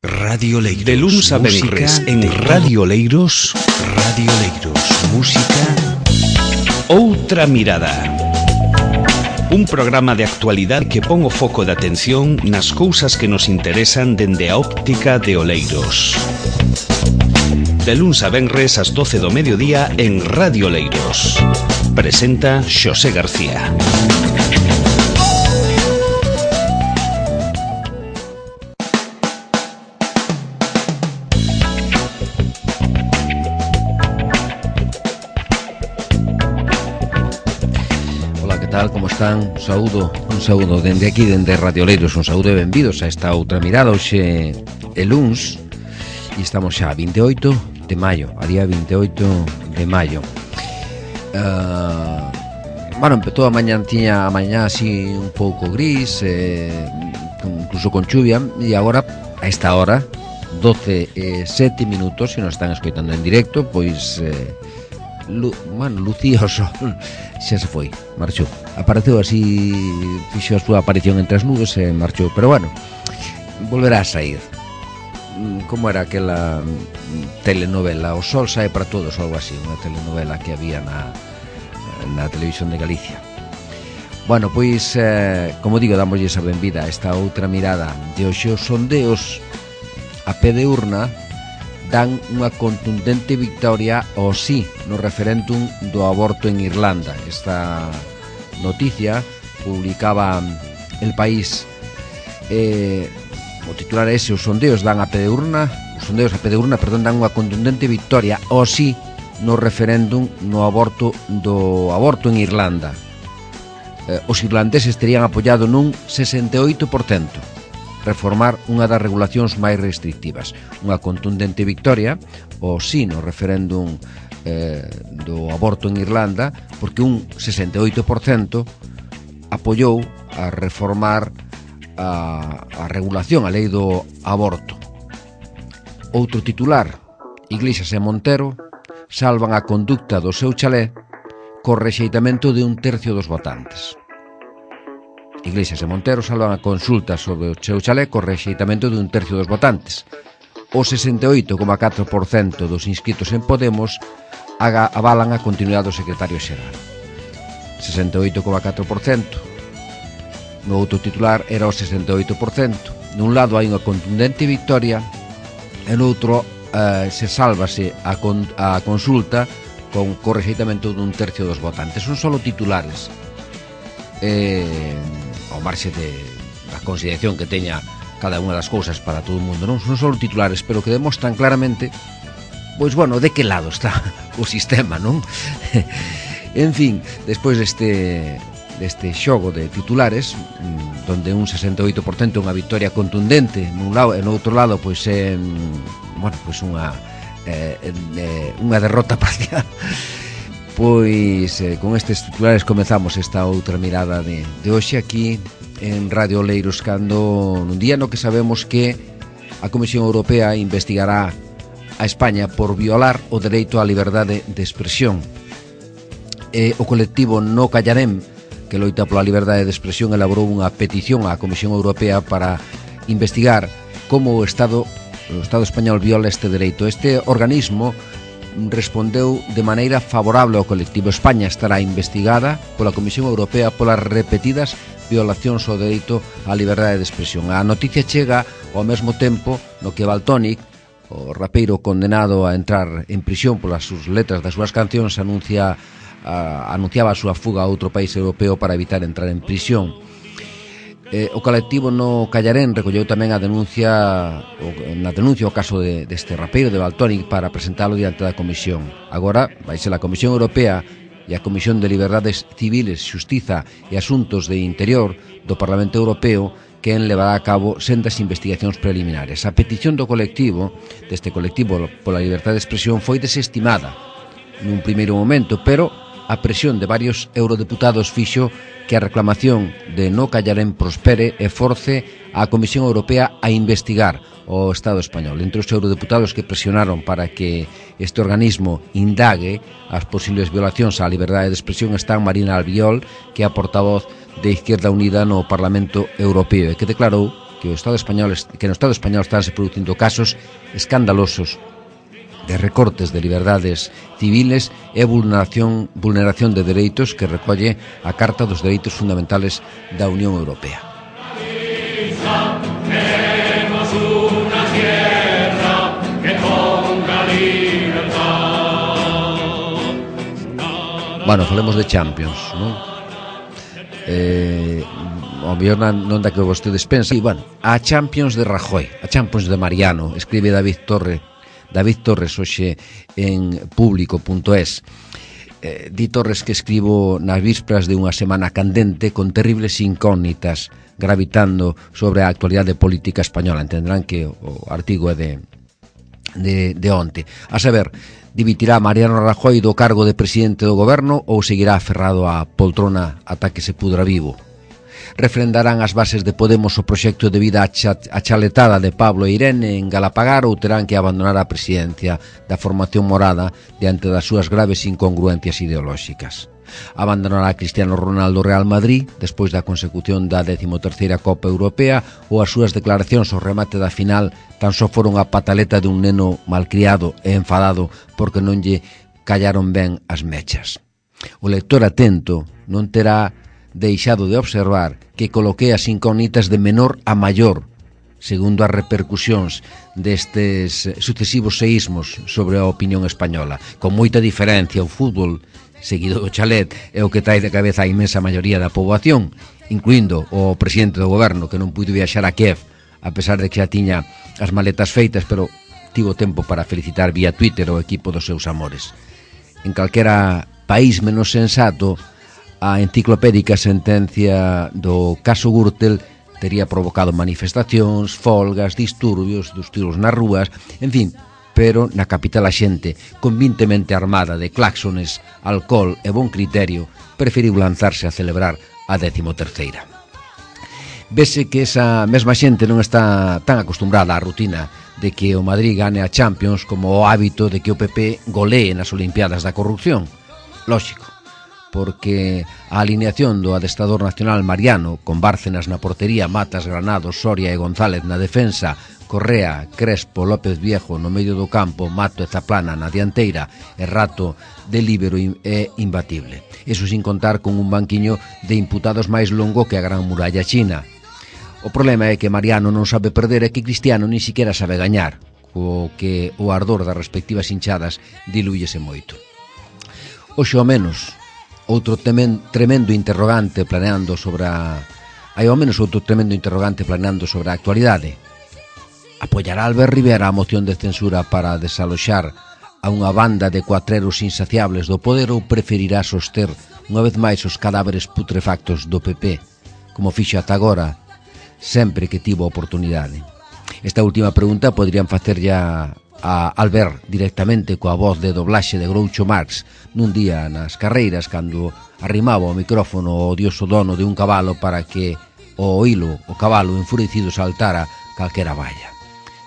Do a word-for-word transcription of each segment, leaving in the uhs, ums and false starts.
Radio Leiros. De luns a venres en Radio Leiros. Radio Leiros. Música. Outra mirada. Un programa de actualidade que pon o foco de atención nas cousas que nos interesan dende a óptica de Oleiros. De luns a venres ás doce do mediodía en Radio Leiros. Presenta Xosé García. Tal, como están? Un saúdo, un saúdo dende aquí, dende Radio Leiros, un saúdo e benvidos a esta outra mirada. Hoxe é luns e estamos xa a vinte e oito de maio, a día vinte e oito de maio. Uh, bueno, empezou a mañá, tiña a mañá así un pouco gris, eh, incluso con chuvia, e agora, a esta hora, doce e sete minutos, se nos están escoitando en directo, pois... Eh, Lu, bueno, lucía o sol, xa se foi, marchou. Apareceu así, fixo a súa aparición entre as nubes e marchou. Pero bueno, volverá a sair. Como era aquela telenovela, O sol sae para todos, ou algo así, unha telenovela que había na, na televisión de Galicia. Bueno, pois, eh, como digo, damoslle esa benvida a esta outra mirada de hoxe. Os sondeos a pé de urna dan unha contundente victoria ao sí no referéndum do aborto en Irlanda. Esta noticia publicaba El País. Eh, o titular é ese: os sondeos dan a pé de urna, os sondeos a pé de urna, perdón, dan unha contundente victoria ao sí no referéndum no aborto do aborto en Irlanda. Eh, os irlandeses terían apoiado nun sesenta e oito por cento reformar unha das regulacións máis restrictivas. Unha contundente victoria o sí no referéndum eh, do aborto en Irlanda, porque un sesenta e oito por cento apoiou a reformar a, a regulación, a lei do aborto. Outro titular: Iglesias e Montero salvan a conducta do seu chalé co rexeitamento de un tercio dos votantes. Iglesias e Montero salvan a consulta sobre o seu chalé co rexeitamento de un tercio dos votantes. O sesenta e oito coma catro por cento dos inscritos en Podemos avalan a continuidade do secretario xeral. sesenta e oito coma catro por cento. No outro titular era o sesenta e oito por cento. Nun lado hai unha contundente victoria e no outro eh, se sálvase a, con, a consulta con co rexeitamento dun tercio dos votantes. Son solo titulares. Eh... ao marxe de, da consideración que teña cada unha das cousas para todo o mundo, non son só titulares, pero que demostran claramente, pois bueno, de que lado está o sistema, non? En fin, despois deste deste xogo de titulares, donde un sesenta e oito por cento é unha victoria contundente nun lado e no outro lado pois é, bueno, pois unha eh, eh, unha derrota parcial. Pois eh, con estes titulares comezamos esta outra mirada de, de hoxe aquí en Radio Leiros, cando nun día no que sabemos que a Comisión Europea investigará a España por violar o dereito á liberdade de expresión. E o colectivo No Callarem, que loita pola liberdade de expresión, elaborou unha petición á Comisión Europea para investigar como o Estado, o Estado español viola este dereito. Este organismo respondeu de maneira favorable ao colectivo. España estará investigada pola Comisión Europea polas repetidas violacións ao dereito á liberdade de expresión. A noticia chega ao mesmo tempo no que Valtónic, o rapeiro condenado a entrar en prisión polas súas letras das súas cancións, anuncia, a, anunciaba a súa fuga a outro país europeo para evitar entrar en prisión. Eh, o colectivo No Callarén recolleu tamén a denuncia o, na denuncia o caso de, deste rapeiro de Valtónic para presentalo diante da Comisión. Agora vai ser a Comisión Europea e a Comisión de Liberdades Civiles, Xustiza e Asuntos de Interior do Parlamento Europeo quen levará a cabo sendas investigacións preliminares. A petición do colectivo, deste colectivo pola liberdade de expresión, foi desestimada nun primeiro momento, pero a presión de varios eurodeputados fixo que a reclamación de No Callarén prospere e force a Comisión Europea a investigar o Estado español. Entre os eurodeputados que presionaron para que este organismo indague as posibles violacións á liberdade de expresión están Marina Albiol, que é a portavoz de Izquierda Unida no Parlamento Europeo, e que declarou que o Estado español que no Estado español están se producindo casos escandalosos de recortes de liberdades civiles e vulneración, vulneración de dereitos que recolle a Carta dos Dereitos Fundamentales da Unión Europea. Bueno, falemos de Champions, non? Eh, o mellor non da que vostedes pensan. E, bueno, a Champions de Rajoy, a Champions de Mariano, escribe David Torre, David Torres hoxe en público punto es. Eh, di Torres que escribo nas vísperas de unha semana candente con terribles incógnitas gravitando sobre a actualidade política española. Entenderán que o artigo é de de, de onte. A saber, dimitirá Mariano Rajoy do cargo de presidente do goberno ou seguirá aferrado á poltrona ata que se pudra vivo? Refrendarán as bases de Podemos o proxecto de vida achaletada de Pablo e Irene en Galapagar ou terán que abandonar a presidencia da formación morada diante das súas graves incongruencias ideolóxicas? Abandonará a Cristiano Ronaldo Real Madrid despois da consecución da décimo terceira Copa Europea ou as súas declaracións ao remate da final tan só foron a pataleta de un neno malcriado e enfadado porque non lle callaron ben as mechas? O lector atento non terá deixado de observar que coloquei as incógnitas de menor a maior segundo as repercusións destes sucesivos seísmos sobre a opinión española. Con moita diferencia, o fútbol seguido do chalet é o que trae de cabeza a inmensa maioría da poboación, incluindo o presidente do goberno que non puido viaxar a Kiev a pesar de que xa tiña as maletas feitas, pero tivo tempo para felicitar vía Twitter o equipo dos seus amores. En calquera país menos sensato, a enciclopédica sentencia do caso Gürtel tería provocado manifestacións, folgas, disturbios, dos tiros nas rúas, en fin, pero na capital a xente, convintemente armada de claxones, alcohol e bon criterio, preferiu lanzarse a celebrar a décimo terceira. Vese que esa mesma xente non está tan acostumbrada á rutina de que o Madrid gane a Champions como o hábito de que o P P golee nas Olimpiadas da corrupción. Lóxico, porque a alineación do adestrador nacional Mariano, con Bárcenas na portería, Matas, Granados, Soria e González na defensa, Correa, Crespo, López Viejo no medio do campo, Mato e Zaplana na dianteira e Rato de líbero é imbatible. Eso sin contar con un banquiño de imputados máis longo que a Gran Muralla China. O problema é que Mariano non sabe perder e que Cristiano ni siquiera sabe gañar, co que o ardor das respectivas hinchadas dilúyese moito. Oxe ao menos, outro temen, tremendo interrogante planeando sobre a... Hai ao menos outro tremendo interrogante planeando sobre a actualidade. Apoiará Albert Rivera a moción de censura para desaloxar a unha banda de cuatreros insaciables do poder ou preferirá soster unha vez máis os cadáveres putrefactos do P P, como fixo ata agora, sempre que tivo oportunidade? Esta última pregunta poderían facer ya a Albert directamente coa voz de doblaxe de Groucho Marx nun día nas carreiras cando arrimaba o micrófono o odioso dono de un cabalo para que o hilo, o cabalo enfurecido saltara calquera valla.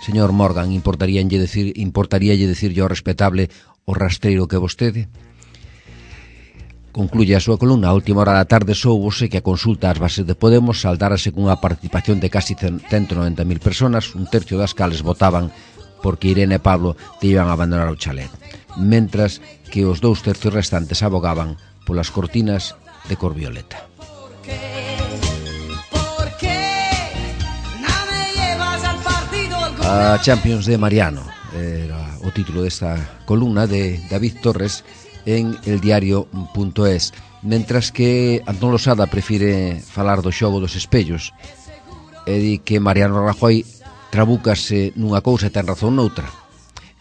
Señor Morgan, importaríalle decir, importaríalle decirlle ao respetable o rastreiro que vostede? Concluye a súa columna. A última hora da tarde soubose que a consulta ás bases de Podemos saldárase cunha participación de casi ciento noventa mil personas, un tercio das cales votaban porque Irene e Pablo te iban a abandonar o chalet, mentras que os dous tercios restantes abogaban polas cortinas de cor violeta. A Champions de Mariano era o título desta columna de David Torres en eldiario punto es, mentras que Antón Losada prefire falar do xogo dos espellos e di que Mariano Rajoy trabúcase nunha cousa e ten razón noutra.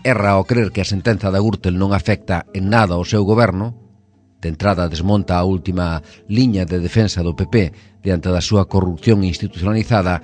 Erra ao crer que a sentenza da Gürtel non afecta en nada ao seu goberno. De entrada desmonta a última liña de defensa do P P diante da súa corrupción institucionalizada.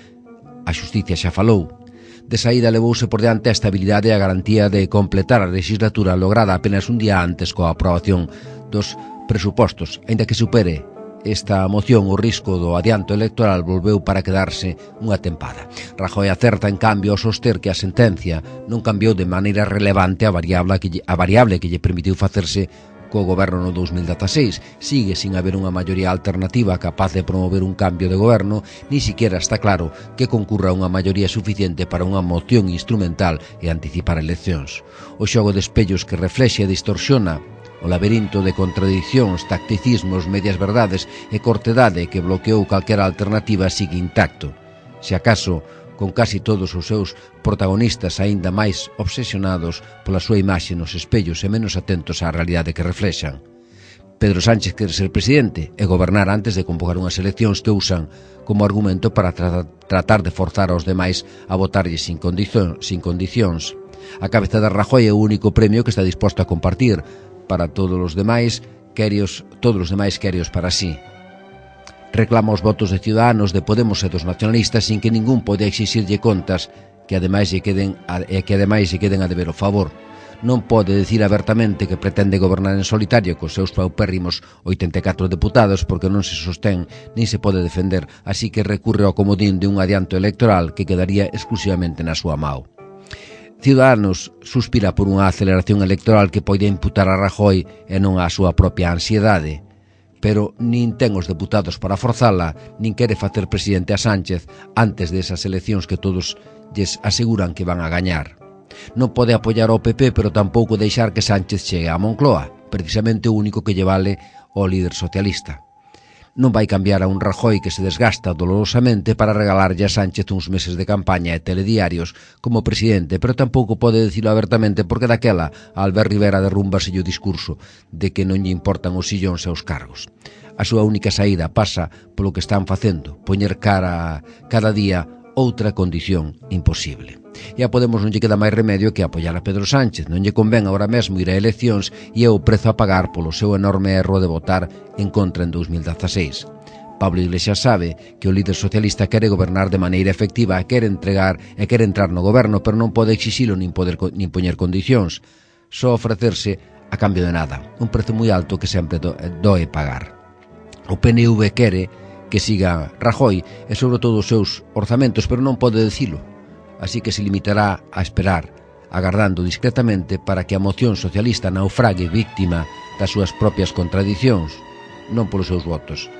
A xusticia xa falou. De saída levouse por diante a estabilidade e a garantía de completar a legislatura lograda apenas un día antes coa aprobación dos presupostos. Aínda que supere esta moción o risco do adianto electoral volveu para quedarse unha tempada. Rajoy acerta en cambio ao soster que a sentencia non cambiou de maneira relevante a variable que lle, a variable que lle permitiu facerse co goberno no dous mil dezaseis. Sigue sin haber unha maioría alternativa capaz de promover un cambio de goberno, ni siquiera está claro que concurra unha maioría suficiente para unha moción instrumental e anticipar eleccións. O xogo de espellos que reflexe e distorsiona, o laberinto de contradicións, tacticismos, medias verdades e cortedade que bloqueou calquera alternativa sigue intacto. Se acaso, con casi todos os seus protagonistas aínda máis obsesionados pola súa imaxe nos espellos e menos atentos á realidade que reflexan. Pedro Sánchez quere ser presidente e gobernar antes de convocar unhas eleccións que usan como argumento para tra tratar de forzar aos demais a votarlle sin, condición, sin condicións. A cabeza de Rajoy é o único premio que está disposto a compartir para todos os demais, querios, todos os demais querios para sí. Reclama os votos de Ciudadanos, de Podemos e dos nacionalistas sin que ningún pode exixirlle contas que ademais lle queden e que ademais lle queden a deber o favor. Non pode dicir abertamente que pretende gobernar en solitario cos seus paupérrimos oitenta e catro deputados porque non se sostén nin se pode defender, así que recurre ao comodín de un adianto electoral que quedaría exclusivamente na súa mao. Ciudadanos suspira por unha aceleración electoral que poida imputar a Rajoy e non á súa propia ansiedade, pero nin ten os deputados para forzala, nin quere facer presidente a Sánchez antes desas eleccións que todos lles aseguran que van a gañar. Non pode apoiar ao P P, pero tampouco deixar que Sánchez chegue a Moncloa, precisamente o único que lle vale ao líder socialista. Non vai cambiar a un Rajoy que se desgasta dolorosamente para regalarlle a Sánchez uns meses de campaña e telediarios como presidente, pero tampouco pode dicilo abertamente porque daquela a Albert Rivera derrúmbase o discurso de que non lle importan os sillóns e os cargos. A súa única saída pasa polo que están facendo, poñer cara cada día outra condición imposible. E a Podemos non lle queda máis remedio que apoiar a Pedro Sánchez. Non lle convén agora mesmo ir a eleccións e é o prezo a pagar polo seu enorme erro de votar en contra en dous mil dezaseis. Pablo Iglesias sabe que o líder socialista quere gobernar de maneira efectiva, quere entregar e quere entrar no goberno, pero non pode exixilo nin, poder, nin poñer condicións, só ofrecerse a cambio de nada, un prezo moi alto que sempre do, doe pagar. O P N V quere que siga Rajoy e sobre todo os seus orzamentos, pero non pode dicilo. Así que se limitará a esperar, agardando discretamente para que a moción socialista naufrague víctima das súas propias contradicións, non polos seus votos.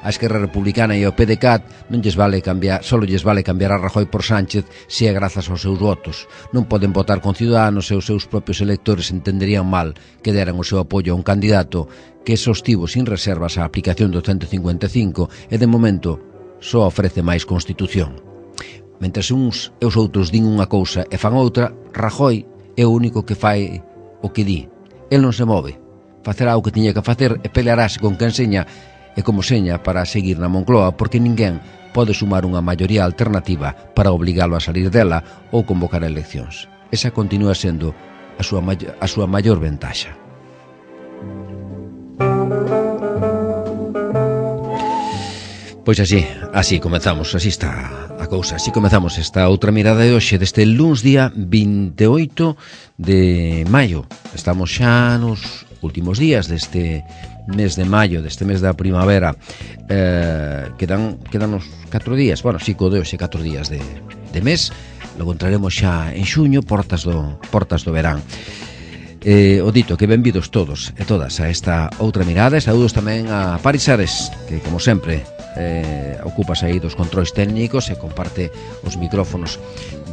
A Esquerra Republicana e ao P D C A T non lles vale cambiar, só lles vale cambiar a Rajoy por Sánchez se é grazas aos seus votos. Non poden votar con Ciudadanos e os seus propios electores entenderían mal que deran o seu apoio a un candidato que sostivo sin reservas a aplicación do ciento cincuenta e cinco e de momento só ofrece máis Constitución. Mentres uns e os outros din unha cousa e fan outra, Rajoy é o único que fai o que di. El non se move, facerá o que tiña que facer e pelearase con quen seña e como seña para seguir na Moncloa porque ninguén pode sumar unha maioría alternativa para obligalo a salir dela ou convocar eleccións. Esa continúa sendo a súa, a súa maior ventaxa. Pois así, así comezamos, así está a cousa. Así comezamos esta outra mirada de hoxe deste luns día vinte e oito de maio. Estamos xa nos últimos días deste mes de maio, deste mes da primavera. eh, Quedan quedan uns catro días, bueno, si co de hoxe catro días de, de mes. Logo entraremos xa en xuño, portas do, portas do verán. Eh, o dito, que benvidos todos e todas a esta outra mirada. E saúdos tamén a Paris Ares, que como sempre eh, ocupas aí dos controis técnicos e comparte os micrófonos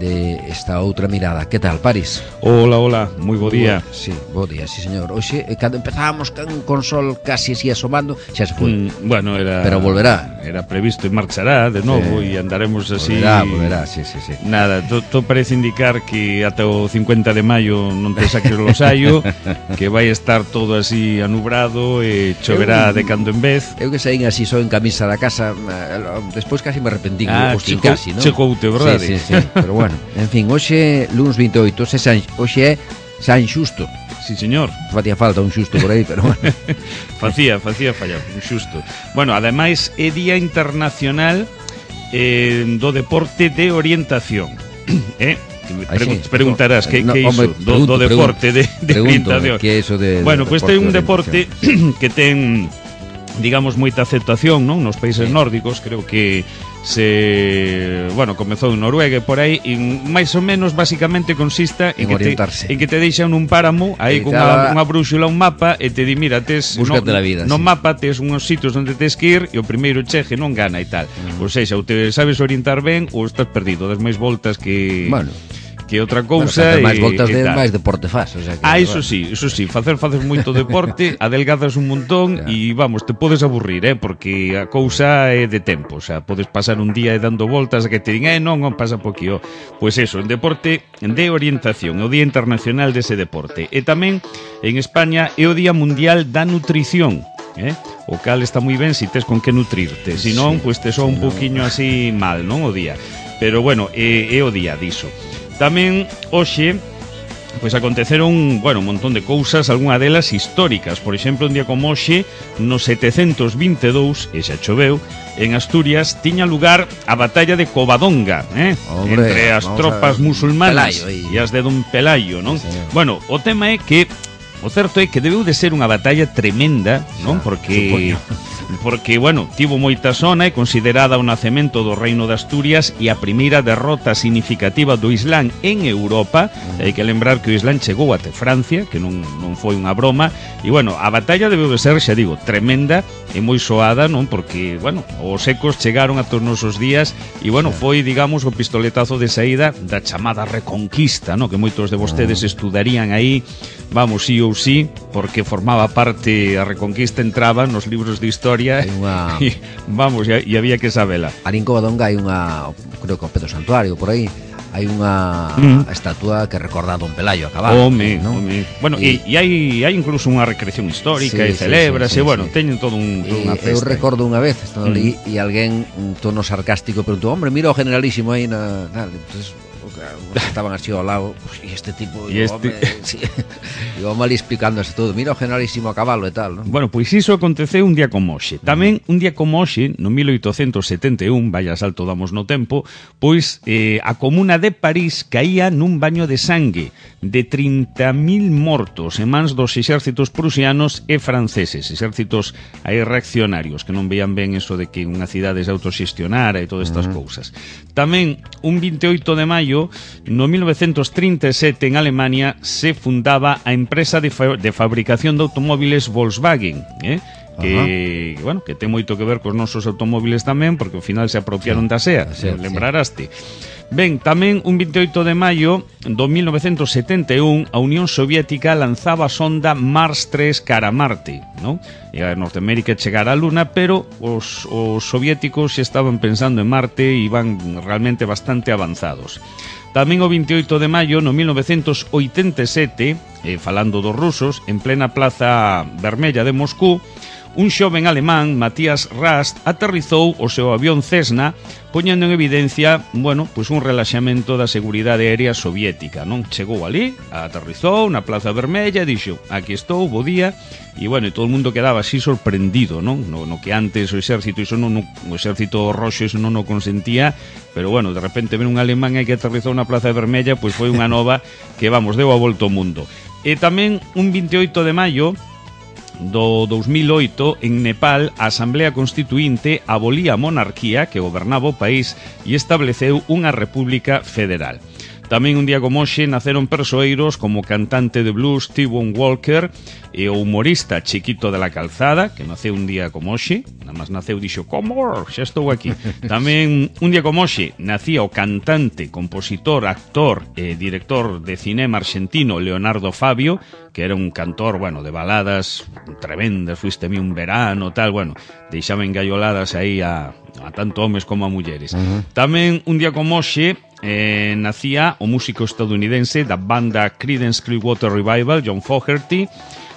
de esta outra mirada. Que tal, Paris? Hola, hola, moi bo día. Sí, bo día, sí, señor. Hoxe, eh, cando empezábamos con sol casi así asomando, xa se foi. Mm, bueno, era... Pero volverá. Era previsto e marchará de novo e sí, andaremos así... Volverá, volverá, sí, sí, sí. Nada, todo parece indicar que ata o cincuenta de maio non te saques o losaio, que vai estar todo así anubrado e choverá eu, de cando en vez. Eu que saín así só en camisa da casa, despois casi me arrepentí. Ah, que chegou, casi, non? Chegoute, verdade? Sí, sí, sí, pero bueno. En fin, hoxe, luns vinte e oito, se San, hoxe é San Xusto. Sí, señor. Facía falta un xusto por aí, pero bueno. facía, facía fallar, un xusto. Bueno, ademais, é Día Internacional eh, do Deporte de Orientación. eh? Pregun sí. Preguntarás que, no, que é iso do, do deporte de, de orientación. Que é iso de, bueno, pois pues ten un deporte que ten digamos, moita aceptación, non? Nos países sí. nórdicos, creo que se, bueno, comezou en Noruega e por aí, e máis ou menos basicamente consista en, en que te en que te deixan nun páramo aí con unha, unha brúxula, un mapa e te di, mira, tes no, la vida, no sí. mapa tes unhos sitios onde tes que ir e o primeiro cheje non gana e tal. Mm. Ou seja, ou te sabes orientar ben ou estás perdido, das máis voltas que bueno, que outra cousa, bueno, máis voltas de máis deporte faz, o sea que, ah, iso bueno. sí, iso sí, facer faces moito deporte, adelgazas un montón e vamos, te podes aburrir, eh, porque a cousa é de tempo, o sea, podes pasar un día dando voltas a que te din, eh, non, non pasa poquío. Pois eso, en deporte de orientación, é o Día Internacional dese deporte. E tamén en España é o Día Mundial da Nutrición, eh? O cal está moi ben se tes con que nutrirte, se non, sí, pois te soa un no. poquinho así mal, non, o día. Pero bueno, é, é o día diso. Tamén hoxe pois aconteceron, bueno, un montón de cousas, algunha delas históricas. Por exemplo, un día como hoxe, no setecentos vinte e dous, e xa choveu, en Asturias tiña lugar a batalla de Covadonga, eh? Hombre, entre as tropas musulmanas e as de Don Pelayo, non? Sí, bueno, o tema é que o certo é que debeu de ser unha batalla tremenda, non? Porque supoño. Porque, bueno, tivo moita zona, é considerada o nacemento do Reino de Asturias e a primeira derrota significativa do Islán en Europa. Mm. Hai que lembrar que o Islán chegou até Francia, que non, non foi unha broma, e, bueno, a batalla debeu de ser, xa digo, tremenda e moi soada, non? Porque, bueno, os ecos chegaron a todos os nosos días e, bueno, foi, digamos, o pistoletazo de saída da chamada Reconquista, non? Que moitos de vostedes mm. estudarían aí, vamos, sí ou sí, porque formaba parte, a Reconquista entraba nos libros de historia. Hai unha... e, vamos, e, e había que sabela. Ali en Covadonga hai unha, creo que o Pedro Santuario, por aí, hai unha mm. estatua que recorda a Don Pelayo a cabalo. Home, ¿no? home. Bueno, e, e hai, hai incluso unha recreación histórica, sí, e celebras, sí, sí, sí, e, bueno, sí. teñen todo un, toda unha festa. Eu recordo unha vez, estando mm. ali, e alguén, un tono sarcástico, preguntou, hombre, mira o generalísimo aí na... Tal, entonces... estaban así ao lado, e este tipo e este... sí, iba mal explicándose todo, mira o generalísimo a cabalo e tal, non? Bueno, pois iso aconteceu un día como hoxe. Tamén un día como hoxe, no mil oitocentos setenta e un, vaya salto damos no tempo, pois eh, a comuna de París caía nun baño de sangue de trinta mil mortos en mans dos exércitos prusianos e franceses, exércitos aí reaccionarios que non veían ben eso de que unha cidade se autoxestionara e todas estas uh -huh. cousas. Tamén un vinte e oito de maio, no mil novecentos trinta e sete, en Alemania se fundaba a empresa de, fa de fabricación de automóviles Volkswagen, eh? que, bueno, que ten moito que ver cos nosos automóviles tamén, porque ao final se apropiaron sí, da SEA, sí, lembraraste. Sí. Ben, tamén un vinte e oito de maio do mil novecentos setenta e un, a Unión Soviética lanzaba a sonda Mars tres cara a Marte, non? E a Norteamérica chegara á Luna, pero os, os soviéticos xa estaban pensando en Marte e iban realmente bastante avanzados. Tamén o vinte e oito de maio, no mil novecentos oitenta e sete, eh, falando dos rusos, en plena Plaza Vermella de Moscú, un xoven alemán, Matías Rast, aterrizou o seu avión Cessna, poñendo en evidencia, bueno, pois un relaxamento da seguridade aérea soviética, non? Chegou ali, aterrizou na Plaza Vermella e dixo, aquí estou, bo día, e, bueno, e todo o mundo quedaba así sorprendido, non? No, no que antes o exército, iso non, o exército roxo, iso non o consentía, pero, bueno, de repente ven un alemán aí que aterrizou na Plaza Vermella, pois foi unha nova que, vamos, deu a volta ao mundo. E tamén un vinte e oito de maio do dos mil oito, en Nepal, a Asamblea Constituinte abolía a monarquía que gobernaba o país e estableceu unha república federal. Tamén un día como hoxe naceron persoeiros como o cantante de blues T-Bone Walker e o humorista Chiquito de la Calzada, que naceu un día como hoxe, nada máis naceu dixo, como, xa estou aquí. Tamén un día como hoxe nacía o cantante, compositor, actor e director de cinema argentino Leonardo Fabio, que era un cantor, bueno, de baladas tremendas, fuiste a mí un verano, tal, bueno, deixaba engaioladas aí a, a tanto homes como a mulleres. Uh -huh. Tamén un día como hoxe Eh, nacía o músico estadounidense da banda Creedence Clearwater Revival, John Fogerty,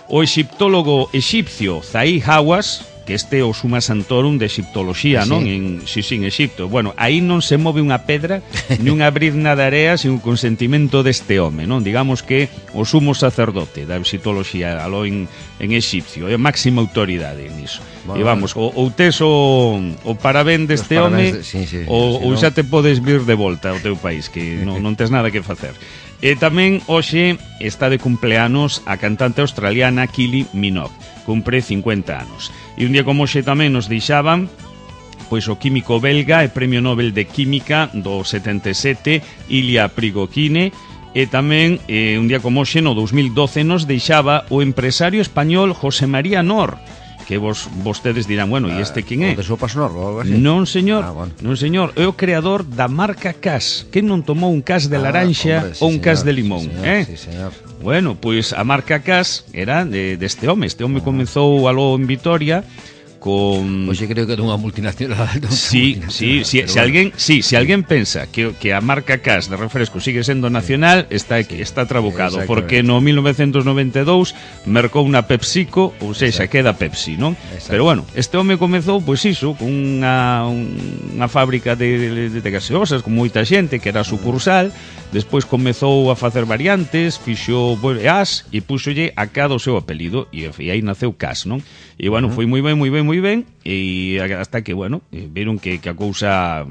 o exiptólogo exipcio Zahi Hawass, que este é o Summa Santorum de exiptoloxía, ¿sí? Non? En, sí, sí, en Exipto. Bueno, aí non se move unha pedra, ni unha brizna de area sin o consentimento deste home, non? Digamos que o sumo sacerdote da exiptoloxía aló en, en exipcio, é a máxima autoridade niso. Bueno, e vamos, ou, ou tes o, o parabén deste home, de, sí, sí, ou, sí, ou xa te podes vir de volta ao teu país, que non, non tes nada que facer. E tamén hoxe está de cumpleanos a cantante australiana Kylie Minogue, cumpre cincuenta anos. E un día como hoxe tamén nos deixaban pois o químico belga e premio Nobel de Química do setenta e sete, Ilya Prigogine, e tamén eh, un día como hoxe no dous mil doce nos deixaba o empresario español José María Nor, que vos vostedes dirán, bueno, e este quen é? O de sopas Nor ou algo así? Non, señor, ah, bueno. non, señor, é o creador da marca Cas. Que non tomou un Cas de laranxa ah, hombre, sí, ou un señor, Cas de limón, sí, señor, eh? Sí, señor. Bueno, pois a marca Cas era de, deste home. Este home comezou aló en Vitoria con... Oxe, creo que é dunha multinacional. Sí, sí, sí, si, alguén, sí, si alguén pensa que, que a marca Cas de refresco sigue sendo nacional, está aquí, está trabucado, porque no mil novecentos noventa e dous mercou unha PepsiCo, ou seja, queda Pepsi, non? Exacto. Pero bueno, este home comezou, pois iso, con unha, unha fábrica de, de, de gaseosas, con moita xente, que era sucursal, despois comezou a facer variantes, fixo as e púxolle a cada o seu apelido, e, e aí naceu Cas, non? E bueno, foi moi ben, moi ben, moi ben, e hasta que, bueno, viron que, que a cousa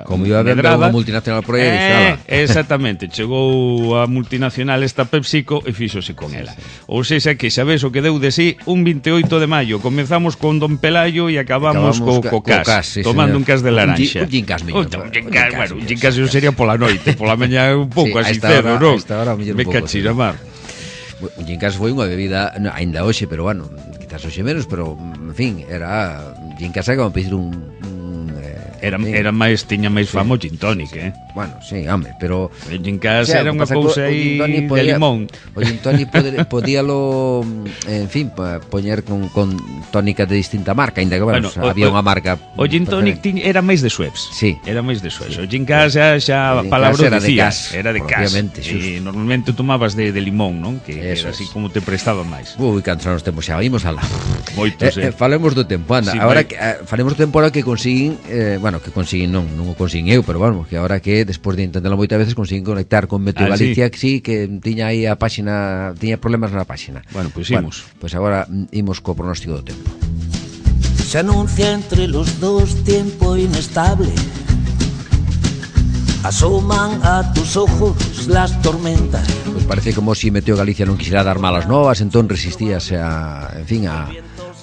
como iba a vender unha multinacional por aí, eh, exactamente, chegou a multinacional esta PepsiCo e fixose con ela. Ou seja, que sabes o que deu de sí un vinte e oito de maio, comezamos con Don Pelayo e acabamos, acabamos co, co Cas, co cas sí, tomando señor. Un Cas de laranxa. Un gin Cas, un gin Cas, bueno, un gin Cas sería pola noite, pola mañá un pouco sí, así cedo, non? Me cachira mar. Un gin Cas foi unha bebida, no, ainda hoxe, pero bueno, quizás hoxe menos, pero en fin, era gin Cas como pedir un, un eh, era era máis tiña máis fama o gin tonic, eh. Bueno, sí, home, pero el gin Cas o sea, era unha cousa aí de limón. O gin tonic podíalo, en fin, poñer con, con tónica de distinta marca, ainda que bueno, bueno o, había unha marca. O gin tonic tiña, era máis de Schweppes. Sí. Era máis de Schweppes. Sí. O gin Cas xa xa palabra era dicía, de Cas, era de Cas. E normalmente tomabas de, de limón, non? Que eso era así es. Como te prestaba máis. Ui, cansados os tempos xa, imos alá. Moitos, eh, eh. Falemos do tempo, anda. Sí, agora que eh, falemos do tempo ahora que consiguin, eh, bueno, que consiguin non, non o consiguin eu, pero bueno, que agora que despois de intentarlo moitas veces consiguin conectar con Meteo ah, Galicia, sí. Que sí, que tiña aí a páxina, tiña problemas na páxina. Bueno, pois pues imos. Bueno, pois pues agora imos co pronóstico do tempo. Se anuncia entre los dos tiempo inestable. Asoman a tus ojos las tormentas. Pois pues parece como si Meteo Galicia non quixera dar malas novas, entón resistíase a, en fin, a,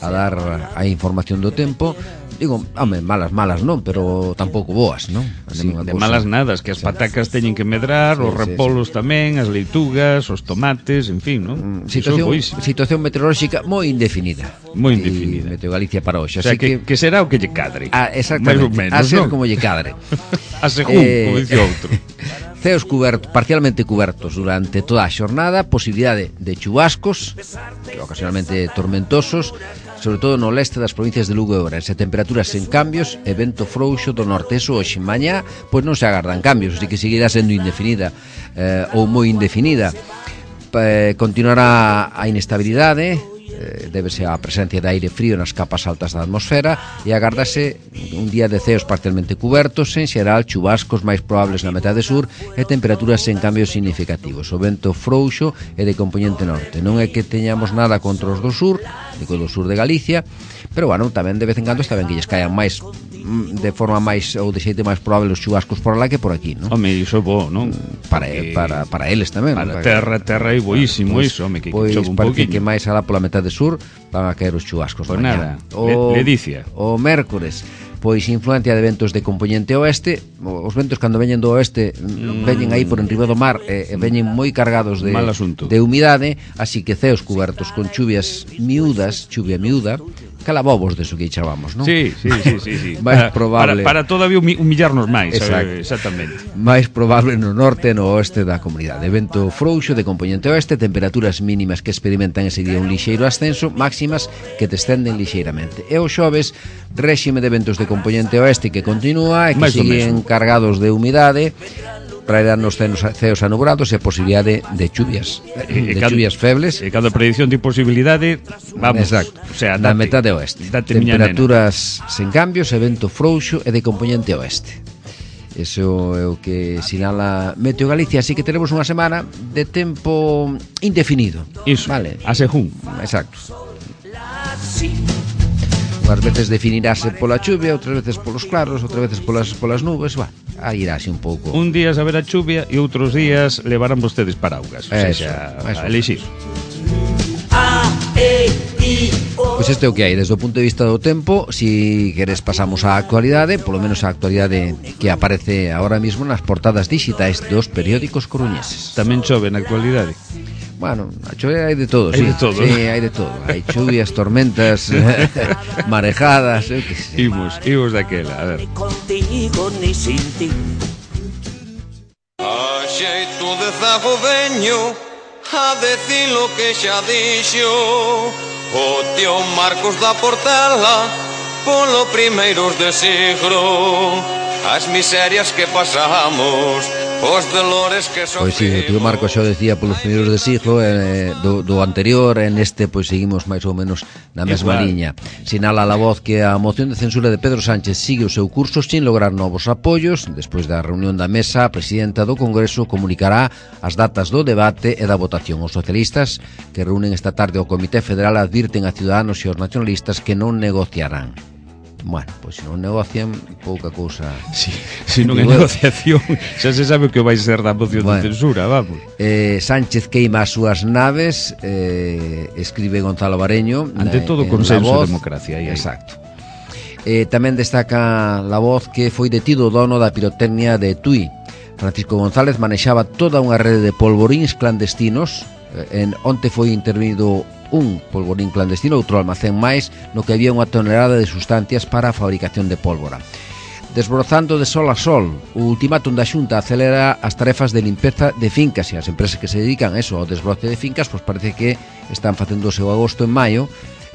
a dar a información do tempo. Digo, home, malas, malas non, pero tampouco boas, non? Así, de, de malas nadas, que as patacas teñen que medrar, sí, os repolos sí, sí. tamén, as leitugas, os tomates, en fin, non? Situación, situación meteorolóxica moi indefinida. Moi indefinida. Meteo Galicia para hoxe. O sea, que, que, que será o que lle cadre. Ah, exactamente, menos, a ser ¿no? Como lle cadre. A según, eh, como dice outro. Ceos cubertos, parcialmente cubertos durante toda a xornada, posibilidade de chubascos, ocasionalmente tormentosos, sobre todo no leste das provincias de Lugo e Ourense, temperaturas sen cambios e vento frouxo do norte. Eso hoxe mañá, pois non se agardan cambios, así que seguirá sendo indefinida eh, ou moi indefinida. Eh, continuará a inestabilidade, eh, débese á presencia de aire frío nas capas altas da atmosfera e agardase un día de ceos parcialmente cubertos, en xeral chubascos máis probables na metade sur e temperaturas sen cambios significativos. O vento frouxo é de componente norte. Non é que teñamos nada contra os do sur, digo do sur de Galicia, pero bueno, tamén de vez en cando está ben que lles caian máis de forma máis ou de xeito máis probable os chubascos por lá que por aquí, non? Home, iso é bo, non? Para, para, para eles tamén. Para terra, terra é boísimo pues, iso, home, que pois chove un parece poquinho. Que máis alá pola metade sur van a caer os chubascos. Pois nada, o, le, Ledicia. O mércores, pois influencia de ventos de componente oeste. Os ventos cando veñen do oeste mm. veñen aí por enriba do mar e eh, veñen moi cargados de, de humidade, así que ceos cubertos con chuvias miúdas, chuvia miúda, calabobos de eso que chamamos, non? Sí, sí, sí, sí, sí. máis para, probable para, para todavía humillarnos máis. Exacto. Sabe? Exactamente. Máis probable no norte e no oeste da comunidade. Vento frouxo de componente oeste, temperaturas mínimas que experimentan ese día un lixeiro ascenso, máximas que descenden lixeiramente. E os xoves, réxime de ventos de componente oeste que continúa e que siguen cargados de humidade, traerán os ceos anubrados e posibilidade de chuvias, de cada, chuvias febles. E cada predicción de posibilidade, vamos, exacto, o sea, na metade oeste. Temperaturas sen cambios e vento frouxo e de componente oeste. Eso é o que sinala Meteo Galicia, así que tenemos unha semana de tempo indefinido. Iso, vale. A según. Exacto. unhas veces definirase pola chuvia, outras veces polos claros, outras veces polas, polas nubes. Bueno, aí irase un pouco. Un día saber a chuvia e outros días levarán vostedes paraugas. O Eso, sea, eso. a elixir. Pois este é o que hai desde o punto de vista do tempo. Si queres pasamos á actualidade, polo menos a actualidade que aparece ahora mismo nas portadas digitais dos periódicos coruñeses. Tamén chove na actualidade. Bueno, a chove hai de todo, Hai sí. de todo. Sí, hai de todo. Hai chuvias, tormentas, marejadas, eu que sei. Imos, imos daquela, a ver. Contigo ni sin ti. A xeito de zago veño a decir lo que xa dixo o tío Marcos da Portela polo primeiros de siglo, as miserias que pasamos, os dolores que sofrimos. Pois sí, o tío Marcos xa o decía polos primeiros de siglo, eh, do, do anterior, en este pois seguimos máis ou menos na mesma Igual. liña. Sinala a La Voz que a moción de censura de Pedro Sánchez sigue o seu curso sin lograr novos apoios. Despois da reunión da mesa, a presidenta do Congreso comunicará as datas do debate e da votación. Os socialistas que reúnen esta tarde o Comité Federal advirten a Ciudadanos e aos nacionalistas que non negociarán. Bueno, pois se non negocian, pouca cousa. Si, si non é negociación, xa se sabe o que vai ser da moción Bueno. de censura, vamos. Eh, Sánchez queima as súas naves, eh, escribe Gonzalo Bareño. Ante na- todo en consenso La e Voz. democracia, aí, aí. Exacto. Eh, tamén destaca La Voz que foi detido o dono da pirotecnia de Tui. Francisco González manexaba toda unha rede de polvoríns clandestinos. Eh, en, onte foi intervenido un polvorín clandestino, outro almacén máis, no que había unha tonelada de sustancias para a fabricación de pólvora. Desbrozando de sol a sol, o ultimátum da Xunta acelera as tarefas de limpeza de fincas, e as empresas que se dedican a eso, ao desbroce de fincas, pois parece que están facendo o seu agosto en maio,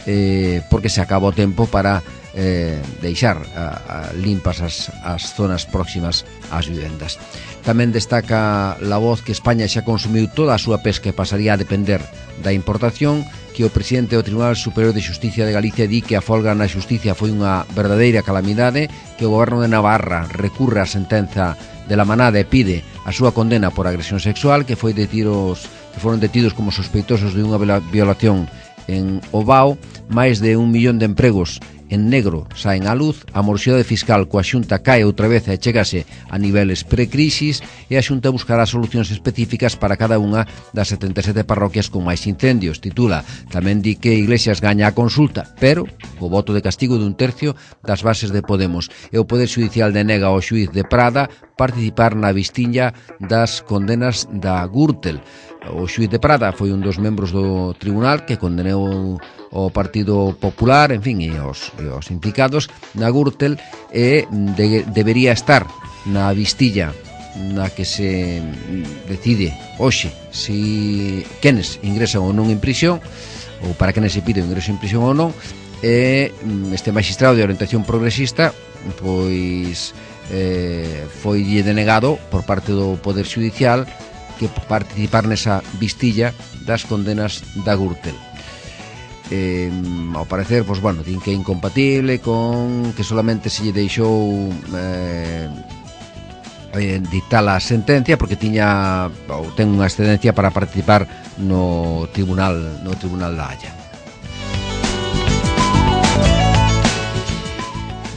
eh, porque se acaba o tempo para eh, deixar a, a limpas as, as zonas próximas ás vivendas. Tamén destaca La Voz que España xa consumiu toda a súa pesca e pasaría a depender da importación, que o presidente do Tribunal Superior de Xusticia de Galicia di que a folga na xusticia foi unha verdadeira calamidade, que o goberno de Navarra recurre á sentenza de la Manada e pide a súa condena por agresión sexual, que foi detidos, que foron detidos como sospeitosos de unha violación en Ovao. Máis de un millón de empregos en negro saen á luz, a morosidade fiscal coa Xunta cae outra vez e chegase a niveles pre-crisis, e a Xunta buscará solucións específicas para cada unha das setenta e sete parroquias con máis incendios. Titula, tamén di que Iglesias gaña a consulta, pero o voto de castigo dun tercio das bases de Podemos, e o Poder Xudicial denega ao xuíz de Prada participar na vistiña das condenas da Gürtel. O xuíz de Prada foi un dos membros do tribunal que condenou o Partido Popular, en fin, e os, e os implicados na Gürtel, e de, debería estar na vistilla na que se decide hoxe si quenes ingresan ou non en prisión, ou para quenes se pide o ingreso en prisión ou non. E este magistrado de orientación progresista pois eh, foi denegado por parte do Poder Xudicial que participar nesa vistilla das condenas da Gürtel. Eh, ao parecer, pois, bueno, din que é incompatible con que solamente se lle deixou eh, eh, dictar a sentencia porque tiña ou ten unha excedencia para participar no tribunal no tribunal da Haya.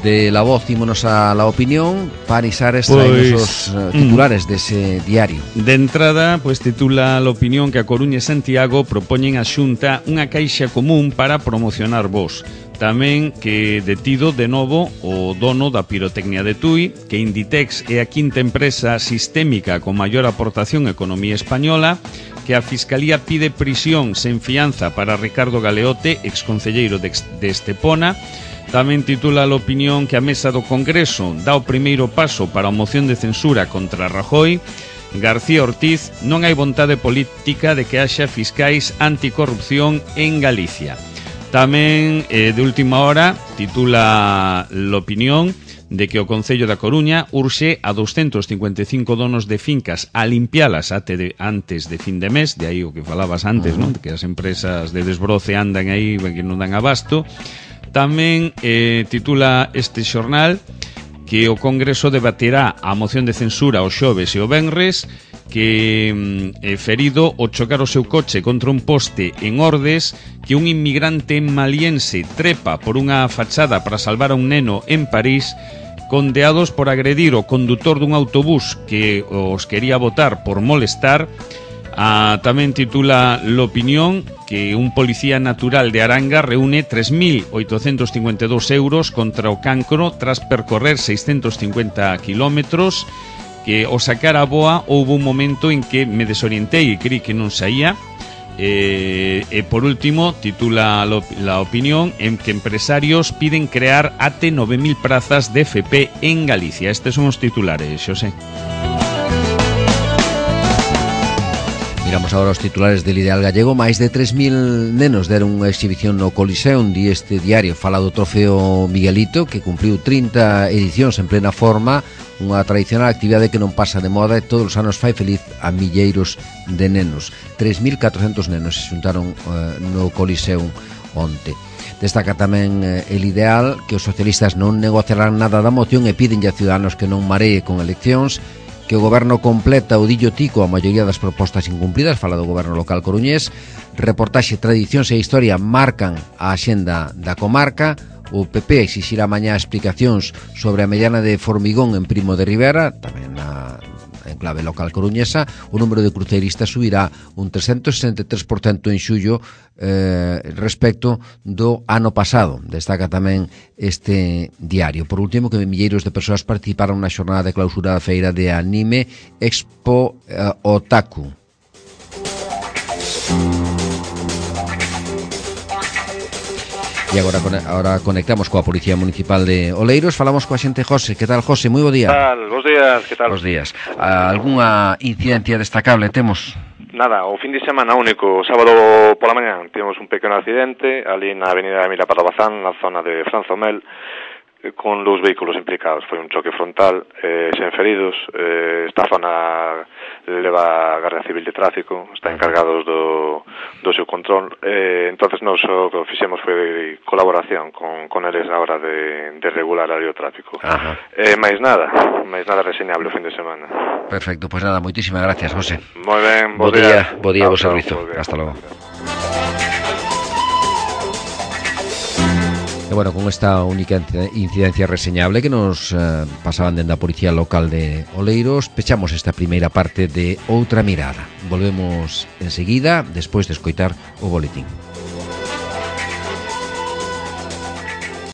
De La Voz ímonos a La Opinión. Pani Sares trae Pois, os uh, titulares mm. dese diario. De entrada, pois titula a opinión que a Coruña e Santiago propoñen a Xunta unha caixa común para promocionar vos. Tamén que detido de novo o dono da pirotecnia de Tui, que Inditex é a quinta empresa sistémica con maior aportación á economía española, que a Fiscalía pide prisión sen fianza para Ricardo Galeote, exconcelleiro de, de Estepona. Tamén titula a opinión que a mesa do Congreso dá o primeiro paso para a moción de censura contra Rajoy. García Ortiz, non hai vontade política de que haxa fiscais anticorrupción en Galicia. Tamén, eh, de última hora, titula a opinión de que o Concello da Coruña urxe a doscientos cincuenta e cinco donos de fincas a limpialas de, antes de fin de mes, de aí o que falabas antes, non? De que as empresas de desbroce andan aí que non dan abasto. Tamén eh, titula este xornal que o Congreso debaterá a moción de censura o xoves e o venres, que é ferido ao chocar o seu coche contra un poste en Ordes, que un inmigrante maliense trepa por unha fachada para salvar a un neno en París, condeados por agredir o condutor dun autobús que os quería botar por molestar. Ah, tamén titula L'Opinión que un policía natural de Aranga reúne tres mil oitocentos cincuenta e dous euros contra o cancro tras percorrer seiscentos cincuenta kilómetros, que ao sacar a boa houve un momento en que me desorientei e creí que non saía. Eh, e por último titula La Opinión en que empresarios piden crear até nove mil prazas de F P en Galicia. Estes son os titulares, Xosé. Miramos agora os titulares del Ideal Gallego. Máis de tres mil nenos deron unha exhibición no Coliseum, di este diario. Fala do trofeo Miguelito, que cumpriu trinta edicións en plena forma, unha tradicional actividade que non pasa de moda e todos os anos fai feliz a milleiros de nenos. tres mil catrocentos nenos se xuntaron uh, no Coliseum onte. Destaca tamén eh, el Ideal que os socialistas non negociarán nada da moción e piden a Ciudadanos que non maree con eleccións, que o goberno completa o dillo tico a maioría das propostas incumplidas. Fala do goberno local coruñés. Reportaxe Tradicións e Historia marcan a axenda da comarca. O P P exixirá mañá explicacións sobre a mediana de Formigón en Primo de Rivera, tamén na en clave local coruñesa. O número de cruceiristas subirá un trescentos sesenta e tres por cento en xullo eh, respecto do ano pasado. Destaca tamén este diario. Por último, que milleiros de persoas participaron na xornada de clausura da feira de anime Expo eh, Otaku. E agora, agora conectamos coa Policía Municipal de Oleiros. Falamos coa xente José. Que tal, José? Moi bo día. Que tal? Bos días, que tal? Bos días. Algúnha incidencia destacable temos? Nada, o fin de semana único. O sábado pola mañá tivemos un pequeno accidente ali na avenida Emilia Pardo Bazán, na zona de Franzomel, con dous vehículos implicados. Foi un choque frontal, eh, sen feridos. Eh, esta zona leva a Garda Civil de Tráfico, está encargados do, do seu control. Eh, entonces nos o que fixemos foi colaboración con, con eles na hora de, de regular ali o tráfico. Eh, máis nada, máis nada reseñable o fin de semana. Perfecto, pois pues nada, moitísimas gracias, José. Moi ben, bo, bo día. Bo día, bo servizo. Hasta logo. E bueno, con esta única incidencia reseñable que nos eh, pasaban dende a Policía Local de Oleiros, pechamos esta primeira parte de Outra Mirada. Volvemos enseguida, despois de escoitar o boletín.